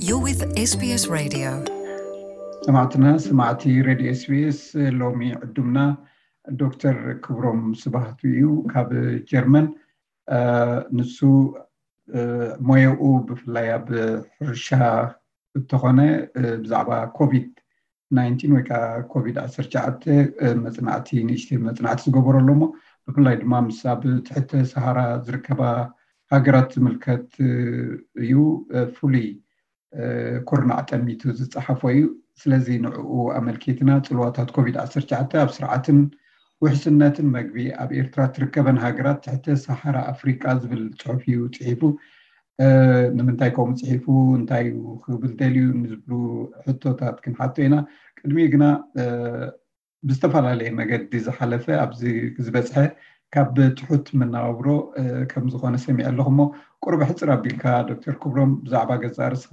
You're with S B S Radio. ሰማዕትና ሰማዕቲ ሬድዮ ኤስቢኤስ፣ ሎሚ ዕዱምና ዶክተር ክብሮም ስብሃቱ እዩ ካብ ጀርመን። ንሱ ሞያኡ ብፍላይ ኣብ ሕርሻ እንተኾነ ብዛዕባ ኮቪድ ናይንቲን ወይ ከዓ ኮቪድ ዓሰርተ ትሽዓተ መፅናዕቲ ንእሽተይ መፅናዕቲ ዝገበረሉ እሞ ብፍላይ ድማ ምስ ኣብ ትሕተ ሰሃራ ዝርከባ ሃገራት ዝምልከት እዩ። ፍሉይ ኩርናዕ ጠሚቱ ዝፀሓፎ እዩ። ስለዚ ንዕኡ ኣመልኪትና ፅልዋታት ኮቪድ ዓሰርተ ትሽዓተ ኣብ ስርዓትን ውሕስነትን መግቢ ኣብ ኤርትራ ትርከበን ሃገራት ትሕተ ሰሃራ ኣፍሪቃ ዝብል ፅሑፍ እዩ ፅሒፉ። ንምንታይ ከምኡ ፅሒፉ፣ እንታይ እዩ ክብል ደልዩ ንዝብሉ ሕቶታት ክንሓቶ ኢና። ቅድሚ ግና ብዝተፈላለየ መገዲ ዝሓለፈ ኣብዚ ዝበፅሐ ካብ ትሑት መነባብሮ ከም ዝኾነ ሰሚዐ ኣለኹ። እሞ ቁሩብ ሕፅር ኣቢልካ ዶክተር ክብሮም ብዛዕባ ገዛ ርስኻ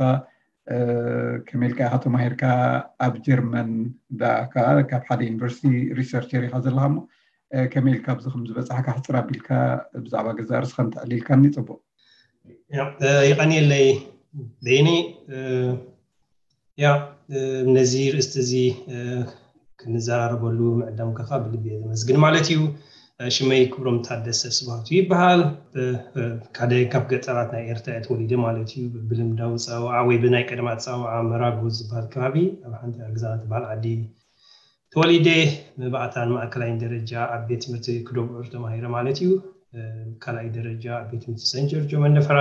ከመይ ኢልካ ኢኻ ተማሂርካ፣ ኣብ ጀርመን ደኣ ከዓ ካብ ሓደ ዩኒቨርሲቲ ሪሰርቸር ኢኻ ዘለኻ። እሞ ከመይ ኢልካ ኣብዚ ከም ዝበፃሕካ ሕፅር ኣቢልካ ብዛዕባ ገዛ ርስኻ እንተዕሊልካኒ ፅቡቅ። ይቐንየለይ በይኒ። ያ ነዚ ርእስቲ እዚ ክንዘራረበሉ ምዕዳምካ ብልቢ እየ ዘመስግን ማለት እዩ። ሽመይ ክብሮም ታደሰ ስብሃቱ ይበሃል። ሓደ ካብ ገጠራት ናይ ኤርትራ እየ ተወሊደ ማለት እዩ። ብልምዳዊ ፀዋዓ ወይ ብናይ ቀደም ኣፀዋዓ መራጎ ዝበሃል ከባቢ ኣብ ሓንቲ ግዛት በዓል ዓዲ ተወሊደ። መባእታን ማእከላይን ደረጃ ኣብ ቤት ትምህርቲ ክደብዑር ተማሂረ ማለት እዩ። ካልኣይ ደረጃ ኣብ ቤት ትምህርቲ ሰንት ጆርጆ መንደፈራ።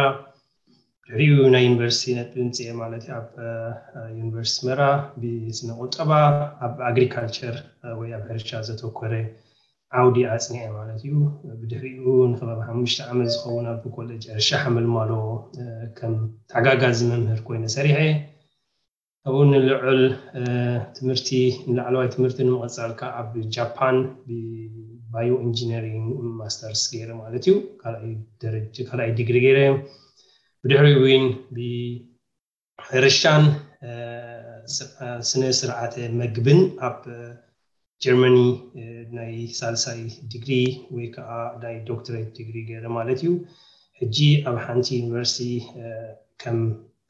ድሕሪኡ ናይ ዩኒቨርሲቲ ነጥቢ ምፅኤ ማለት ኣብ ዩኒቨርሲቲ ኣስመራ ብስነ ቁጠባ ኣብ ኣግሪካልቸር ወይ ኣብ ሕርሻ ዘተኮረ ዓውዲ ኣፅኒዐ ማለት እዩ። ብድሕሪኡ ንከባቢ ሓሙሽተ ዓመት ዝኸውን ኣብ ኮሌጅ ሕርሻ ሓመልማሎ ከም ተሓጋጋዚ መምህር ኮይነ ሰሪሐ። ካብኡ ንልዑል ትምህርቲ ንላዕለዋይ ትምህርቲ ንምቕፃል ከዓ ኣብ ጃፓን ብባዮ ኢንጂነሪንግ ማስተርስ ገይረ ማለት እዩ። ካልኣይ ዲግሪ ገይረ። ብድሕሪ እውን ብሕርሻን ስነ ስርዓተ መግብን ኣብ ጀርመኒ ናይ ሳልሳይ ዲግሪ ወይ ከዓ ናይ ዶክትሬት ዲግሪ ገይረ ማለት እዩ። ሕጂ ኣብ ሓንቲ ዩኒቨርሲቲ ከም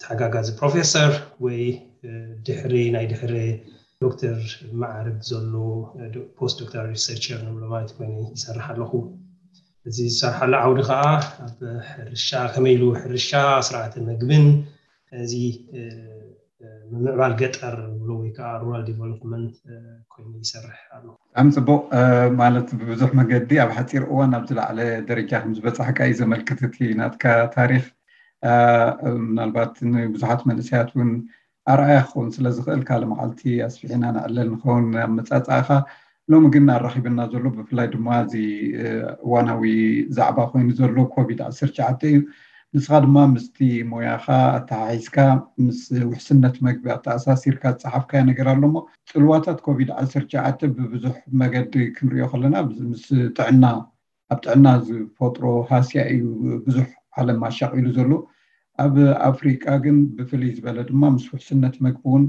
ተሓጋጋዚ ፕሮፌሰር ወይ ድሕሪ ናይ ድሕሪ ዶክተር መዓርግ ዘሎ ፖስት ዶክተር ሪሰርቸር ንብሎ ማለት ኮይነ ይሰርሕ ኣለኹ። እዚ ዝሰርሓሉ ዓውዲ ከዓ ኣብ ሕርሻ ከመይ ኢሉ ሕርሻ ስርዓተ መግብን እዚ ምምዕባል ገጠር ንብሎ ወይ ከዓ ሩራል ዲቨሎፕመንት ኮይኑ ይሰርሕ ኣሎ። ብጣዕሚ ፅቡቅ። ማለት ብብዙሕ መገዲ ኣብ ሓፂር እዋን ኣብ ዝለዓለ ደረጃ ከም ዝበፃሕካ እዩ ዘመልክት እቲ ናትካ ታሪክ። ምናልባት ንብዙሓት መንእሰያት እውን ኣርኣያ ክኸውን ስለ ዝኽእል ካልእ መዓልቲ ኣስፊሕና ንዕለል ንኸውን ኣመፃፅኣኻ። ሎሚ ግን ኣራኺብና ዘሎ ብፍላይ ድማ እዚ እዋናዊ ዛዕባ ኮይኑ ዘሎ ኮቪድ ዓሰርተ ትሽዓተ እዩ። ንስኻ ድማ ምስቲ ሞያኻ ኣተሓሒዝካ ምስ ውሕስነት መግቢ ኣተኣሳሲርካ ዝፀሓፍካዮ ነገር ኣሎ እሞ ፅልዋታት ኮቪድ ዓሰርተ ትሽዓተ ብብዙሕ መገዲ ክንሪኦ ከለና ምስ ጥዕና ኣብ ጥዕና ዝፈጥሮ ሃስያ እዩ ብዙሕ ዓለም ኣሻቒሉ ዘሎ። ኣብ ኣፍሪቃ ግን ብፍልይ ዝበለ ድማ ምስ ውሕስነት መግቢ እውን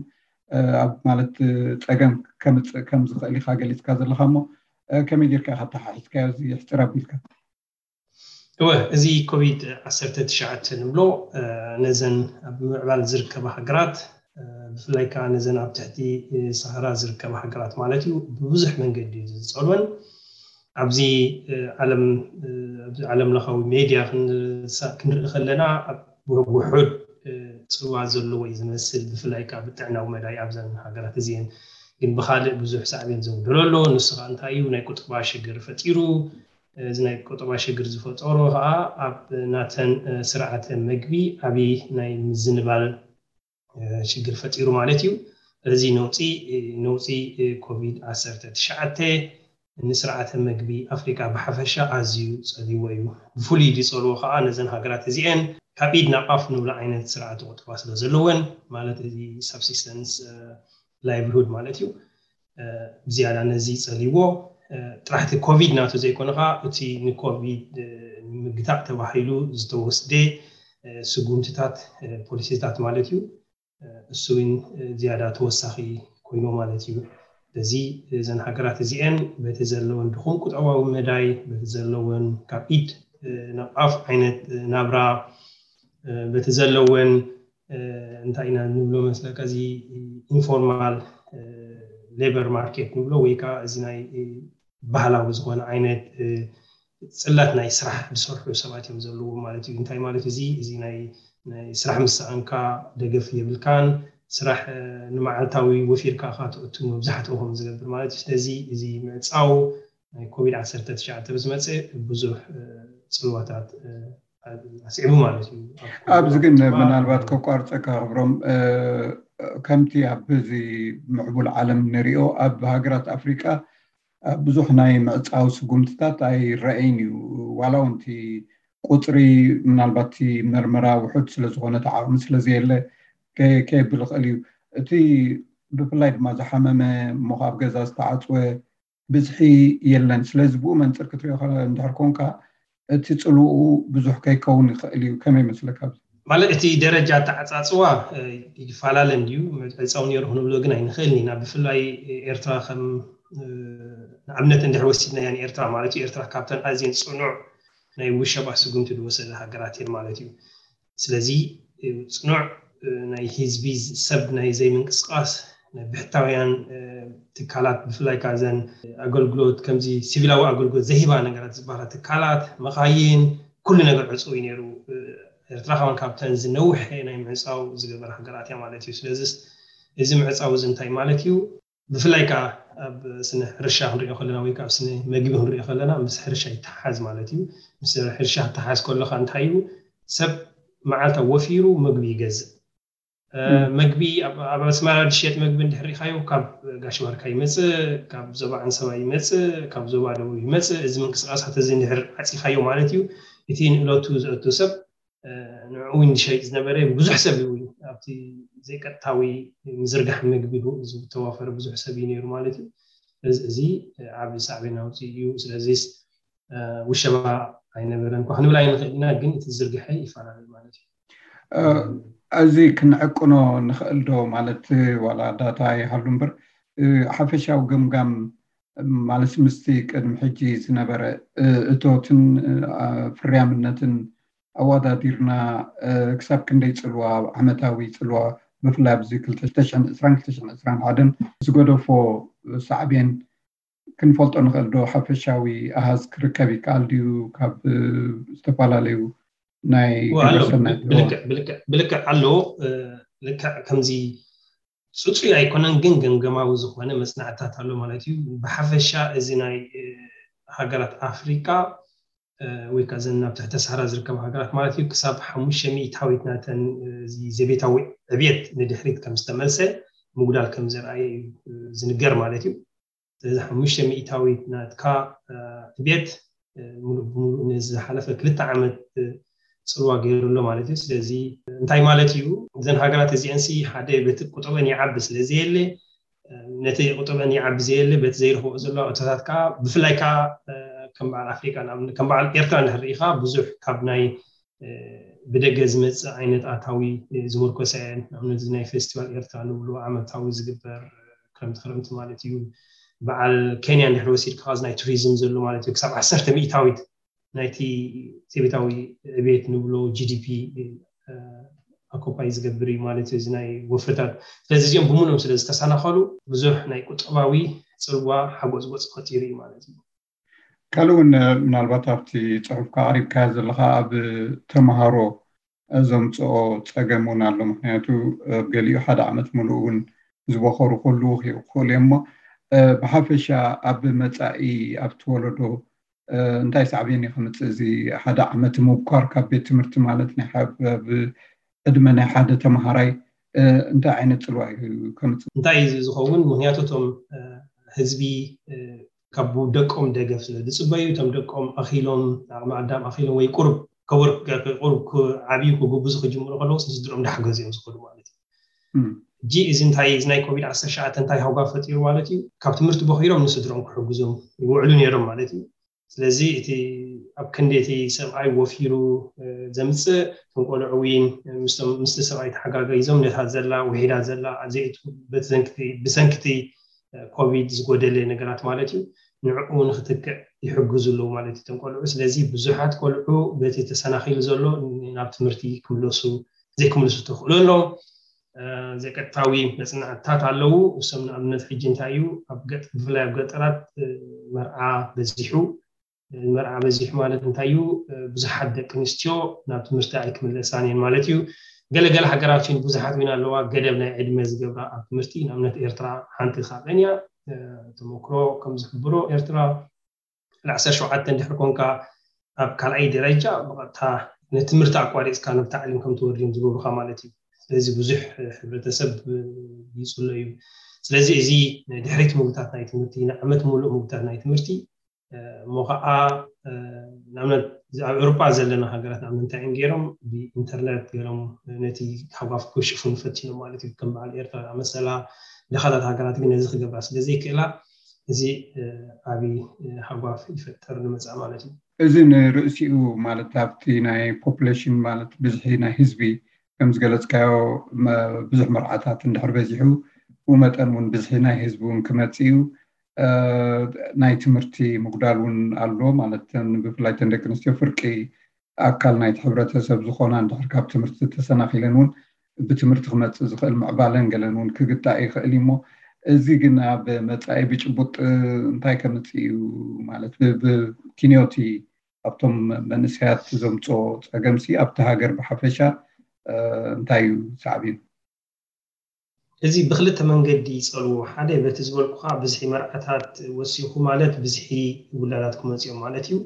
ኣብ ማለት ፀገም ከምፅእ ከም ዝኽእል ኢኻ ገሊፅካ ዘለኻ እሞ ከመይ ጌርካ ኢኻ ኣተሓሒዝካዮ እዚ ሕፅር ኣቢልካ? እወ፣ እዚ ኮቪድ ዓሰርተ ትሽዓተ ንብሎ ነዘን ኣብ ምምዕባል ዝርከባ ሃገራት ብፍላይ ከዓ ነዘን ኣብ ትሕቲ ሰሃራ ዝርከባ ሃገራት ማለት እዩ ብብዙሕ መንገዲ እዩ ዝፀልወን። ኣብዚ ዓለም ኣብዚ ዓለም ለኻዊ ሜድያ ክንርኢ ከለና ውሑድ ፅልዋ ዘለዎ እዩ ዝመስል፣ ብፍላይ ከዓ ብጥዕናዊ መዳይ ኣብዘን ሃገራት እዚአን። ግን ብካልእ ብዙሕ ሳዕቤን ዘጉደሎ ኣሎ። ንሱ ከዓ እንታይ እዩ? ናይ ቁጠባ ሽግር ፈጢሩ። እዚ ናይ ቁጠባ ሽግር ዝፈጠሮ ከዓ ኣብ ናተን ስርዓተ መግቢ ዓብዪ ናይ ምዝንባል ሽግር ፈጢሩ ማለት እዩ። እዚ ነውፂ ነውፂ ኮቪድ ዓሰርተ ትሽዓተ ንስርዓተ መግቢ ኣፍሪካ ብሓፈሻ ኣዝዩ ፀሊዎ እዩ። ብፍሉይ ዝፀልዎ ከዓ ነዘን ሃገራት እዚአን ካብ ኢድ ናብ ኣፍ ንብሎ ዓይነት ስርዓተ ቁጠባ ስለ ዘለወን ማለት እዚ ሳብሲስተንስ ላይቭሊሁድ ማለት እዩ። ብዝያዳ ነዚ ፀሊዎ ጥራሕቲ ኮቪድ ናቱ ዘይኮነ ከዓ እቲ ንኮቪድ ንምግታእ ተባሂሉ ዝተወስደ ስጉምትታት ፖሊሲታት ማለት እዩ። እሱ እውን ዝያዳ ተወሳኺ ኮይኑ ማለት እዩ። በዚ እዘን ሃገራት እዚአን በቲ ዘለወን ድኹም ቁጠባዊ መዳይ በቲ ዘለወን ካብ ኢድ ናብ ኣፍ ዓይነት ናብራ በቲ ዘለወን እንታይ ኢና ንብሎ መስለካ፣ እዚ ኢንፎርማል ሌበር ማርኬት ንብሎ፣ ወይ ከዓ እዚ ናይ ባህላዊ ዝኾነ ዓይነት ጽላት ናይ ስራሕ ዝሰርሑ ሰባት እዮም ዘለዉ ማለት እዩ። እንታይ ማለት እዚ እዚ ናይ ናይ ስራሕ ምስ ሰኣንካ ደገፍ የብልካን፣ ስራሕ ንመዓልታዊ ወፊርካ ካ ትእቱ መብዛሕትኡ ከም ዝገብር ማለት እዩ። ስለዚ እዚ ምዕፃው ናይ ኮቪድ ዓሰርተ ትሽዓተ ዝመፀ ብዙሕ ፅልዋታት ኣስዒቡ ማለት እዩ። ኣብዚ ግን ምናልባት ከቋርፀካ ክብሮም፣ ከምቲ ኣብ እዚ ምዕቡል ዓለም ንሪኦ ኣብ ሃገራት ኣፍሪቃ ብዙሕ ናይ ምዕፃው ስጉምትታት ኣይረኣይን እዩ። ዋላ እውን እቲ ቁፅሪ ምናልባት እቲ መርመራ ውሑድ ስለዝኾነ እቲ ዓቕሚ ስለዘየለ ከብል ይኽእል እዩ። እቲ ብፍላይ ድማ ዝሓመመ እሞ ኣብ ገዛ ዝተዓፅወ ብዝሒ የለን። ስለዚ ብኡ መንፅር ክትሪኦ እንድሕር ኮንካ እቲ ፅልኡ ብዙሕ ከይከውን ይኽእል እዩ። ከመይ ይመስለካ? ማለት እቲ ደረጃ ኣተዓፃፅዋ ይፈላለ እንድዩ። ዕፃው ነይሩ ክንብሎ ግን ኣይንኽእልን ኢና። ብፍላይ ኤርትራ ከም ንኣብነት እንድሕር ወሲድናያ ንኤርትራ ማለት እዩ፣ ኤርትራ ካብተን ኣዝየን ፅኑዕ ናይ ውሸባ ስጉምቲ ዝወሰደ ሃገራት እየን ማለት እዩ። ስለዚ ፅኑዕ ናይ ህዝቢ ሰብ ናይ ዘይምንቅስቃስ ናይ ብሕታውያን ትካላት ብፍላይ ካዘን ኣገልግሎት ከምዚ ሲቪላዊ ኣገልግሎት ዘይህባ ነገራት ዝበሃላ ትካላት፣ መኻይን፣ ኩሉ ነገር ዕፁው እዩ ነይሩ። ኤርትራ ከማን ካብተን ዝነውሐ ናይ ምዕፃው ዝገበረ ሃገራት እያ ማለት እዩ። ስለዚ እዚ ምዕፃው እዚ እንታይ ማለት እዩ? ብፍላይ ከዓ ኣብ ስነ ሕርሻ ክንሪኦ ከለና ወይ ከዓ ኣብ ስነ መግቢ ክንሪኦ ከለና ምስ ሕርሻ ይተሓዝ ማለት እዩ። ምስ ሕርሻ ክተሓዝ ከለካ እንታይ እዩ? ሰብ መዓልታ ወፊሩ ምግቢ ይገዝእ። መግቢ ኣብ ኣስመራ ዝሸየጥ መግቢ እንድሕር ሪኢኻዮ ካብ ጋሽ ባርካ ይመፅእ፣ ካብ ዞባ ዓንሰባ ይመፅእ፣ ካብ ዞባ ደቡብ ይመፅእ። እዚ ምንቅስቃሳት እዚ እንድሕር ዓፂኻዮ ማለት እዩ፣ እቲ ንእለቱ ዘእቱ ሰብ ንዕኡ ዝሸይጥ ዝነበረ ብዙሕ ሰብ እዩ። ኣብቲ ዘይቀጥታዊ ምዝርጋሕ ምግቢ ዝተዋፈረ ብዙሕ ሰብ እዩ ነይሩ ማለት እዩ። እዚ ዓብዪ ሳዕቤን ኣውፅኡ እዩ። ስለዚስ ውሸባ ኣይነበረን እኳ ክንብል ኣይንኽእል ኢና፣ ግን እቲ ዝርግሐ ይፈላለ ማለት እዩ። እዚ ክንዕቅኖ ንኽእል ዶ ማለት ዋላ ዳታ ይሃሉ እምበር ሓፈሻዊ ገምጋም ማለት ምስቲ ቅድሚ ሕጂ ዝነበረ እቶትን ፍርያምነትን ኣወዳዲርና ክሳብ ክንደይ ፅልዋ፣ ዓመታዊ ፅልዋ ብፍላይ ኣብዚ ክልተ ሽሕን ዕስራን ክልተ ሽሕን ዕስራን ሓደን ዝገደፎ ሳዕቤን ክንፈልጦ ንኽእል ዶ? ሓፈሻዊ ኣሃዝ ክርከብ ይከኣል ድዩ ካብ ዝተፈላለዩ ናይ ግብረሰናይ ብልክዕ ኣሎ። ልክዕ ከምዚ ፅፁይ ኣይኮነን፣ ግን ገምገማዊ ዝኾነ መፅናዕትታት ኣሎ ማለት እዩ። ብሓፈሻ እዚ ናይ ሃገራት ኣፍሪቃ ወይ ከዓ ዘን ናብ ትሕተ ሳህራ ዝርከባ ሃገራት ማለት እዩ፣ ክሳብ ሓሙሽተ ሚእታዊት ናተን ዘቤታዊ ዕብየት ንድሕሪት ከም ዝተመልሰ ምጉዳል ከም ዘርኣየ እዩ ዝንገር ማለት እዩ። ስለዚ ሓሙሽተ ሚእታዊት ናትካ ዕብየት ሙሉእ ብሙሉእ ነዚ ዝሓለፈ ክልተ ዓመት ፅልዋ ገይሩ ኣሎ ማለት እዩ። ስለዚ እንታይ ማለት እዩ? እዘን ሃገራት እዚአንሲ ሓደ በቲ ቁጠበን ይዓቢ ስለ ዘየለ፣ ነቲ ቁጠበን ይዓቢ ዘየለ በቲ ዘይረኽቦ ዘሎ እቶታት ከዓ ብፍላይ ከዓ ከም በዓል ኣፍሪቃ ከም በዓል ኤርትራ እንድሕር ርኢኻ ብዙሕ ካብ ናይ ብደገ ዝመፅእ ዓይነት ኣታዊ ዝምርኮሳ እየን። ንኣብነት ናይ ፌስቲቫል ኤርትራ ንብሎ ዓመታዊ ዝግበር ክረምቲ ክረምቲ ማለት እዩ። በዓል ኬንያ እንድሕር ወሲድካ እዚ ናይ ቱሪዝም ዘሎ ማለት እዩ ክሳብ ዓሰርተ ሚእታዊት ናይቲ ዘቤታዊ ዕቤት ንብሎ ጂዲፒ ኣኮፓይ ዝገብር እዩ ማለት እዩ እዚ ናይ ወፍርታት። ስለዚ እዚኦም ብምሉኦም ስለ ዝተሰናኸሉ ብዙሕ ናይ ቁጠባዊ ፅልዋ ሓጎፅጎፅ ፈጢሩ እዩ ማለት እዩ። ካልእ እውን ምናልባት ኣብቲ ፅሑፍካ ኣቕሪብካዮ ዘለኻ ኣብ ተምሃሮ ዘምፅኦ ፀገም እውን ኣሎ። ምክንያቱ ኣብ ገሊኡ ሓደ ዓመት ሙሉእ እውን ዝበኸሩ ክህልዉ ይኽእሉ እዮም። እሞ ብሓፈሻ ኣብ መፃኢ ኣብቲ ወለዶ እንታይ ሳዕቤን እዩ ከምፅእ? እዚ ሓደ ዓመት ምብኳር ካብ ቤት ትምህርቲ ማለት ናይ ዕድመ ናይ ሓደ ተምሃራይ እንታይ ዓይነት ፅልዋ እዩ ከምፅእ? እንታይ እዩ ዝኸውን? ምክንያቱ እቶም ህዝቢ ካብ ደቆም ደገፍ ስለ ዝፅበዩ እቶም ደቆም ኣኺሎም ዓቕሚ ኣዳም ኣኺሎም ወይ ቁሩብ ከወር ቁሩብ ዓብዩ ክጉብዙ ክጅምሩ ከለዉ ስድሮም ዳሕገዙ እዮም ዝኸዱ ማለት እዩ። ሕጂ እዚ እንታይ እዚ ናይ ኮቪድ ዓሰርተ ትሽዓተ እንታይ ሃጓ ፈጢሩ ማለት እዩ? ካብ ትምህርቲ በኺሮም ንስድሮም ክሕግዞም ይውዕሉ ነይሮም ማለት እዩ። ስለዚ እቲ ኣብ ክንዲ እቲ ሰብኣይ ወፊሩ ዘምፅእ እቶም ቆልዑ እውን ምስቲ ሰብኣይ ተሓጋጊዞም ነታ ዘላ ውሒዳ ዘላ ብሰንክቲ ኮቪድ ዝጎደለ ነገራት ማለት እዩ ንዕኡ ንክትክዕ ይሕግዙ ኣለዉ ማለት እዩ እቶም ቆልዑ። ስለዚ ብዙሓት ቆልዑ በቲ ተሰናኺሉ ዘሎ ናብ ትምህርቲ ክምለሱ ዘይክምልሱ ተኽእሎ ኣሎ። ዘይቀጥታዊ መፅናዕትታት ኣለዉ። እሶም ንኣብነት ሕጂ እንታይ እዩ ኣብ ገጥ ብፍላይ ኣብ ገጠራት መርዓ በዚሑ። መርዓ በዚሑ ማለት እንታይ እዩ? ብዙሓት ደቂ ኣንስትዮ ናብ ትምህርቲ ኣይክምለሳን እየን ማለት እዩ። ገለገለ ሃገራት እውን ብዙሓት እውን ኣለዋ ገደብ ናይ ዕድመ ዝገብራ ኣብ ትምህርቲ። ንኣብነት ኤርትራ ሓንቲ ካብአን እያ። ተመክሮ ከም ዝሕብሮ ኤርትራ ዓሰርተ ሸውዓተ እንድሕር ኮንካ ኣብ ካልኣይ ደረጃ ብቐጥታ ንትምህርቲ ኣቋሪፅካ ናብ ታዕሊም ከም ትወርድ እዮም ዝገብሩካ ማለት እዩ። ስለዚ ብዙሕ ሕብረተሰብ ይፅሎ እዩ። ስለዚ እዚ ድሕሪት ምግብታት ናይ ትምህርቲ ንዓመት ሙሉእ ምግብታት ናይ ትምህርቲ እሞ ከዓ ንኣብነት ኣብ ኤውሮጳ ዘለና ሃገራት ንኣብነት እንታይ እዮም ገይሮም ብኢንተርነት ገይሮም ነቲ ሃጓፍ ክሽፉን ፈቲኖም ማለት እዩ። ከም በዓል ኤርትራ ዝኣመሰላ ድኻታት ሃገራት ግን ነዚ ክገብራ ስለዘይክእላ እዚ ዓብዪ ሃጓፍ ይፈጥር ንመፅኣ ማለት እዩ። እዚ ንርእሲኡ ማለት ኣብቲ ናይ ፖፕሌሽን ማለት ብዝሒ ናይ ህዝቢ ከም ዝገለፅካዮ ብዙሕ መርዓታት እንድሕር በዚሑ ብኡ መጠን እውን ብዝሒ ናይ ህዝቢ እውን ክመፅእ እዩ። ናይ ትምህርቲ ምጉዳል እውን ኣሎ ማለት ብፍላይ ተን ደቂ ኣንስትዮ ፍርቂ ኣካል ናይቲ ሕብረተሰብ ዝኾና እንድሕር ካብ ትምህርቲ ተሰናኺለን እውን ብትምህርቲ ክመፅእ ዝኽእል ምዕባለን ገለን እውን ክግታእ ይኽእል እዩ እሞ እዚ ግን ኣብ መፃኢ ብጭቡጥ እንታይ ከምፅእ እዩ ማለት ብኪንዮቲ ኣብቶም መንእሰያት ዘምፅኦ ፀገምሲ ኣብቲ ሃገር ብሓፈሻ እንታይ እዩ ሳዕቤኑ? እዚ ብክልተ መንገዲ ይፀልዎ። ሓደ በቲ ዝበልኩኻ ብዝሒ መርዓታት ወሲኹ ማለት ብዝሒ ውላዳት ክመፅኦም ማለት እዩ።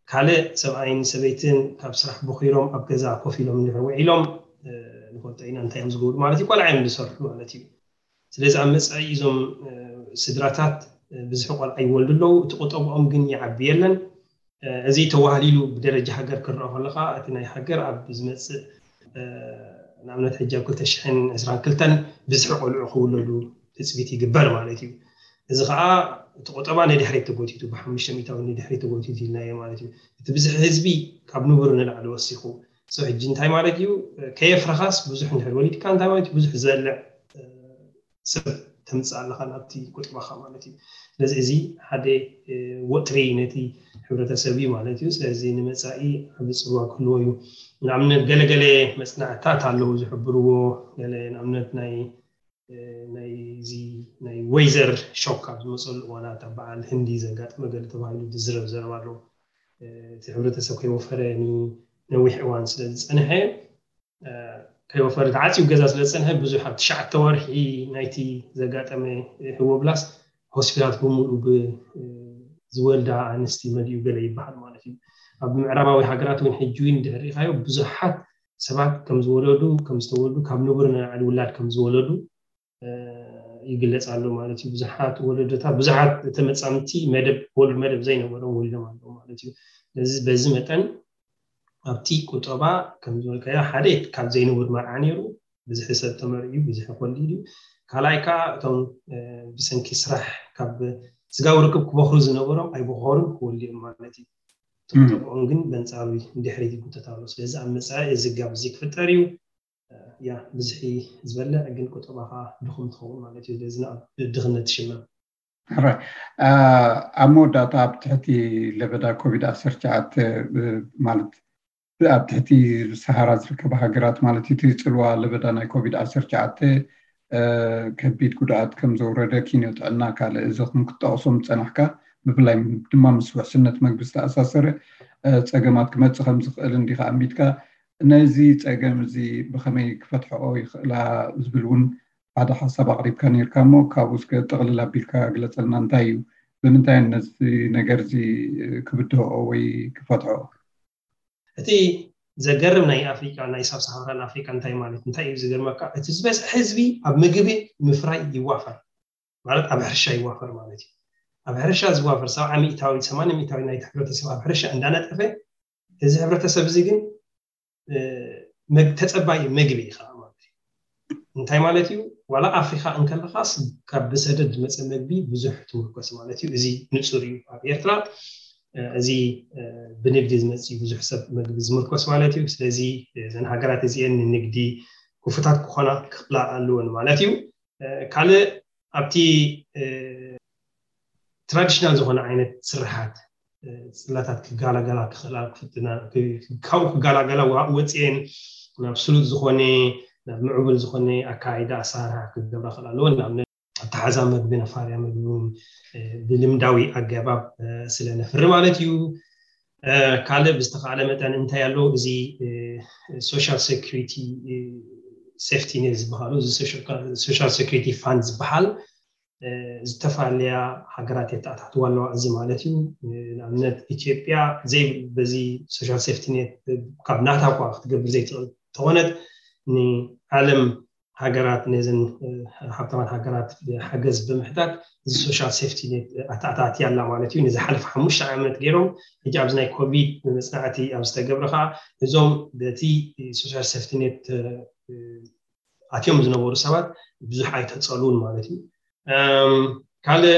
ካልእ ሰብኣይን ሰበይትን ካብ ስራሕ ቦኺሮም ኣብ ገዛ ኮፍ ኢሎም እንድሕር ውዒሎም ንፈልጦ ኢና እንታይ እዮም ዝገብሩ ማለት እዩ። ቆልዓ እዮም ዝሰርሑ ማለት እዩ። ስለዚ ኣብ መፃኢ እዞም ስድራታት ብዝሒ ቆልዓ ይወልዱ ኣለዉ። እቲ ቁጠብኦም ግን ይዓቢ የለን። እዚ ተዋህሊሉ ብደረጃ ሃገር ክረአ ከለካ እቲ ናይ ሃገር ኣብ ዝመፅእ ንኣብነት ሕጂ ኣብ ክልተ ሽሕን ዕስራን ክልተን ብዝሒ ቆልዑ ክውለዱ ትፅቢት ይግበር ማለት እዩ። እዚ ከዓ እቲ ቁጠባ ንድሕሪት ተጎቲቱ ብሓሙሽተ ሚእታዊ ንድሕሪት ተጎቲቱ ኢልናዮ ማለት እዩ። እቲ ብዝሒ ህዝቢ ካብ ንቡር ንላዕሊ ወሲኹ ሰው ሕጂ እንታይ ማለት እዩ? ከየፍረኻስ ብዙሕ እንድሕር ወሊድካ እንታይ ማለት እዩ? ብዙሕ ዝበልዕ ሰብ ተምፅእ ኣለኻ ናብቲ ቁጠባኻ ማለት እዩ። ስለዚ እዚ ሓደ ወጥሪ ነቲ ሕብረተሰብ እዩ ማለት እዩ። ስለዚ ንመፃኢ ዓቢ ፅልዋ ክህልዎ እዩ። ንኣብነት ገለገለ መፅናዕትታት ኣለዉ ዝሕብርዎ ገለ ንኣብነት ናይ ናይዚ ናይ ወይዘር ሾክ ኣብ ዝመፀሉ እዋናት ኣብ በዓል ህንዲ ዘጋጠመ ገለ ተባሂሉ ዝዝረብ ዘረባ ኣሎ። እቲ ሕብረተሰብ ከይወፈረ ንነዊሕ እዋን ስለ ዝፀንሐ ከይወፈረ ተዓፅዩ ገዛ ስለ ዝፀንሐ ብዙሕ ኣብ ትሽዓተ ወርሒ ናይቲ ዘጋጠመ ህወብላስ ሆስፒታላት ብምሉኡ ብዝወልዳ ኣንስቲ መሊኡ ገለ ይበሃል ማለት እዩ። ኣብ ምዕራባዊ ሃገራት እውን ሕጂ እውን ድሕሪኻዮ ብዙሓት ሰባት ከም ዝወለዱ ከም ዝተወልዱ ካብ ንቡር ንላዕሊ ውላድ ከም ዝወለዱ ይግለፅ ኣሎ ማለት እዩ። ብዙሓት ወለዶታት ብዙሓት ተመፃምቲ መደብ ወሉድ መደብ ዘይነበሮም ወሊዶም ኣለዉ ማለት እዩ። ስለዚ በዚ መጠን ኣብቲ ቁጠባ ከም ዝበልካዮ ሓደ ካብ ዘይንቡር መርዓ ነይሩ ብዙሕ ሰብ ተመርዕዩ ብዙሕ ክወልድ እዩ። ካልኣይ ከዓ እቶም ብሰንኪ ስራሕ ካብ ስጋዊ ርክብ ክበኽሩ ዝነበሮም ኣይበኸሩን ክወልዱ እዮም ማለት እዩ። ቁጠብኦም ግን በንፃሩ ድሕሪት ይጉተት ኣሎ። ስለዚ ኣብ መፃኢ እዚ ጋብ እዚ ክፍጠር እዩ። ያ ብዝሒ ዝበልዕ ግን ቁጠባኻ ድኹም ትኸውን ማለት እዩ። ስለዚ ናብ ድኽነት ትሽመም። ሕራይ ኣብ መወዳእታ ኣብ ትሕቲ ለበዳ ኮቪድ ዓሰርተ ትሽዓተ ማለት ኣብ ትሕቲ ሰሃራ ዝርከባ ሃገራት ማለት እቲ ፅልዋ ለበዳ ናይ ኮቪድ ዓሰርተ ትሽዓተ ከቢድ ጉድኣት ከም ዘውረደ ኪንዮ ጥዕና ካልእ እዞም ክትጠቕሶም ዝፀናሕካ ብፍላይ ድማ ምስ ውሕስነት መግቢ ዝተኣሳሰረ ፀገማት ክመፅእ ከም ዝኽእል እንዲኻ ኣሚትካ ነዚ ፀገም እዚ ብኸመይ ክፈትሐኦ ይኽእላ ዝብል እውን ሓደ ሓሳብ ኣቕሪብካ ነርካ እሞ ካብኡ እስከ ጥቕልል ኣቢልካ ግለፀልና እንታይ እዩ ብምንታይ ነዚ ነገር እዚ ክብድሆኦ ወይ ክፈትሐኦ እቲ ዘገርም ናይ ኣፍሪቃ ናይ ሳብ ሳሃራን ኣፍሪቃ እንታይ ማለት እንታይ እዩ ዝገርመካ እቲ ዝበዝሐ ህዝቢ ኣብ ምግቢ ምፍራይ ይዋፈር ማለት ኣብ ሕርሻ ይዋፈር ማለት እዩ ኣብ ሕርሻ ዝዋፈር ሰብዓ ሚእታዊ ሰማንያ ሚእታዊ ናይ ሕብረተሰብ ኣብ ሕርሻ እንዳነጠፈ እዚ ሕብረተሰብ እዚ ግን ተፀባይ ምግቢ እዩ ከዓ ማለት እዩ እንታይ ማለት እዩ ዋላ ኣፍሪካ እንከለካስ ካብ ብሰደድ ዝመፀ ምግቢ ብዙሕ ትምርኮስ ማለት እዩ እዚ ንፁር እዩ ኣብ ኤርትራ እዚ ብንግዲ ዝመፅእ ብዙሕ ሰብ ምግቢ ዝምርኮስ ማለት እዩ ስለዚ እዘን ሃገራት እዚአን ንንግዲ ክፉታት ክኾና ክኽላ ኣለወን ማለት እዩ ካልእ ኣብቲ ትራዲሽናል ዝኾነ ዓይነት ስርሓት ፅላታት ክጋላገላ ክኽእላ ክፍትና ካብኡ ክጋላገላ ወፅኤን ናብ ስሉጥ ዝኾነ ናብ ምዕቡል ዝኾነ ኣካይዳ ኣሰራርሓ ክገብራ ክእል ኣለዎ። ንኣብነት ኣተሓዛ መግቢ፣ ነፋርያ መግቢ እውን ብልምዳዊ ኣገባብ ስለ ነፍሪ ማለት እዩ። ካልእ ብዝተኻእለ መጠን እንታይ ኣሎ፣ እዚ social security safety net ዝበሃሉ፣ እዚ social security fund ዝበሃል ዝተፈላለያ ሃገራት የተኣታትዋ ኣለዋ። እዚ ማለት እዩ ንኣብነት ኢትዮጵያ ዘይ በዚ social safety net ካብ ናታ እኳ ክትገብር ዘይትኽእል ተኾነት ንዓለም ሃገራት ነዘን ሃብታማት ሃገራት ሓገዝ ብምሕታት እዚ social safety net ኣተኣታትያ ኣላ ማለት እዩ። ንዝሓለፈ ሓሙሽተ ዓመት ገይሮም ሕጂ ኣብዚ ናይ ኮቪድ መፅናዕቲ ኣብ ዝተገብረ ከዓ እዞም በቲ social safety net ኣትዮም ዝነበሩ ሰባት ብዙሕ ኣይተፀሉን ማለት እዩ። ካልእ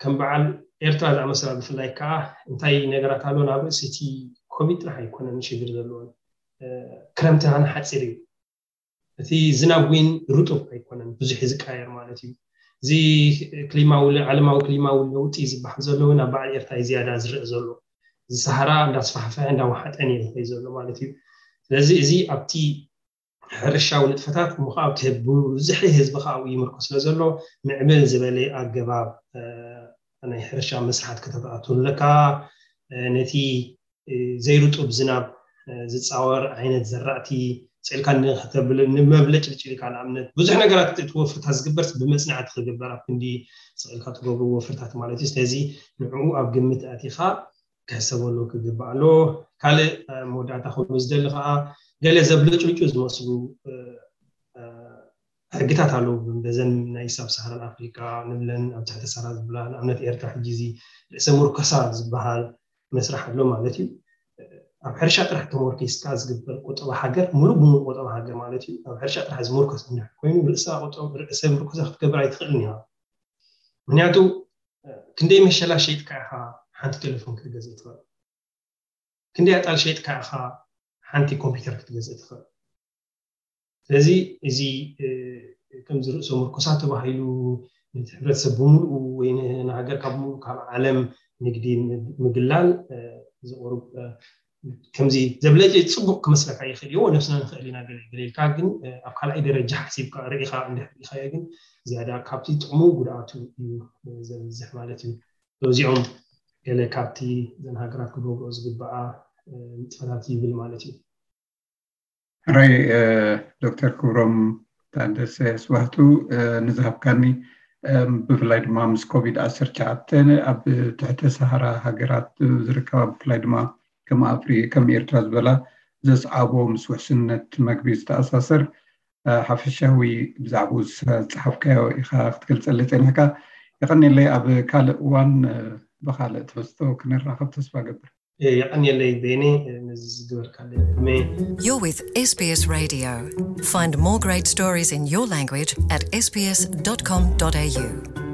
ከም በዓል ኤርትራ ዝኣመሰላ ብፍላይ ከዓ እንታይ ነገራት ኣሎ፣ ናብ ርእሲ እቲ ኮቪድ ጥራሕ ኣይኮነን ሽግር ዘለዎን። ክረምቲ ሓፂር እዩ። እቲ ዝናብ እውን ርጡብ ኣይኮነን፣ ብዙሕ ዝቃየር ማለት እዩ። እዚ ክሊማዊ ዓለማዊ ክሊማዊ ለውጢ ዝበሃል ዘሎ እውን ኣብ በዓል ኤርትራ ዝያዳ ዝረአ ዘሎ፣ እዚ ሰሃራ እንዳስፋሕፈሐ እንዳወሓጠን እዩ ዝኸይ ዘሎ ማለት እዩ። ስለዚ እዚ ኣብቲ ሕርሻዊ ንጥፈታት ምዃብ ክህብ ብዙሕ ህዝቢ ከዓ ይምርኮ ስለ ዘሎ ምዕብል ዝበለ ኣገባብ ናይ ሕርሻ መስርሓት ከተተኣቱ ኣለካ። ነቲ ዘይርጡብ ዝናብ ዝፃወር ዓይነት ዘራእቲ ፅዕልካ ንመብለጭልጭልካ ንኣብነት ብዙሕ ነገራት እቲ ወፍርታት ዝግበር ብመፅናዕቲ ክግበር ኣብ ክንዲ ስዕልካ ትገብሩ ወፍርታት ማለት እዩ። ስለዚ ንዕኡ ኣብ ግምት ኣቲኻ ክሕሰበሉ ክግባእ ኣሎ። ካልእ መወዳእታ ክብሉ ዝደሊ ከዓ ገለ ዘብለጭልጩ ዝመስሉ ሕግታት ኣለዉ። በዘን ናይ ሳብ ሳሃራን ኣፍሪካ ንብለን ኣብ ትሕቲ ሳራ ዝበላ ንኣብነት ኤርትራ ሕጂ እዚ ርእሰ ምርኮሳ ዝበሃል መስራሕ ኣሎ ማለት እዩ። ኣብ ሕርሻ ጥራሕ ተመርኪስካ ዝግበር ቁጠባ ሃገር ሙሉእ ብሙሉእ ቁጠባ ሃገር ማለት እዩ። ኣብ ሕርሻ ጥራሕ ዝምርኮስ እንድሕር ኮይኑ ርእሰ ምርኮሳ ክትገብር ኣይትኽእልን ኢኻ። ምክንያቱ ክንደይ መሸላ ሸይጥካ ኢኻ ሓንቲ ቴሌፎን ክትገዝእ ትኽእል? ክንደይ ኣጣል ሸይጥካ ኢኻ ሓንቲ ኮምፒውተር ክትገዝእ ትኽእል? ስለዚ እዚ ከምዚ ርእሰ ምርኮሳ ተባሂሉ ነቲ ሕብረተሰብ ብምሉኡ ወይ ንሃገር ካብ ምሉእ ካብ ዓለም ንግዲ ምግላል ዝቆርብ ከምዚ ዘብለጭ ፅቡቅ ክመስለካ ይኽእል እዩ። ነብስና ንኽእል ኢና ገለ ገለ ኢልካ፣ ግን ኣብ ካልኣይ ደረጃ ሓሲብካ ርኢኻ እንድሕር ርኢኻዮ ግን ዝያዳ ካብቲ ጥቕሙ ጉድኣቱ እዩ ዘብዝሕ ማለት እዩ። እዚኦም ገለ ካብቲ እዘን ሃገራት ክገብርኦ ዝግበኣ ንጥፈታት ይብል ማለት እዩ። ሕራይ ዶክተር ክብሮም ታደሰ ስዋህቱ ንዝሃብካኒ ብፍላይ ድማ ምስ ኮቪድ ዓሰርተ ትሽዓተ ኣብ ትሕተ ሰሃራ ሃገራት ዝርከባ ብፍላይ ድማ ከም ኣፍሪ ከም ኤርትራ ዝበላ ዘስዓቦ ምስ ውሕስነት መግቢ ዝተኣሳሰር ሓፈሻዊ ብዛዕባኡ ዝፀሓፍካዮ ኢኻ ክትገልፀለይ ፀኒሕካ። የቐኒለይ። ኣብ ካልእ እዋን ብኻልእ ትሕዝቶ ክንራኸብ ተስፋ ገብር። የቐኒለይ ቤኒ ነዚ ዝገበርካለይ ዕድመ። You're with S B S Radio. Find more great stories in your language at S B S dot com dot A U.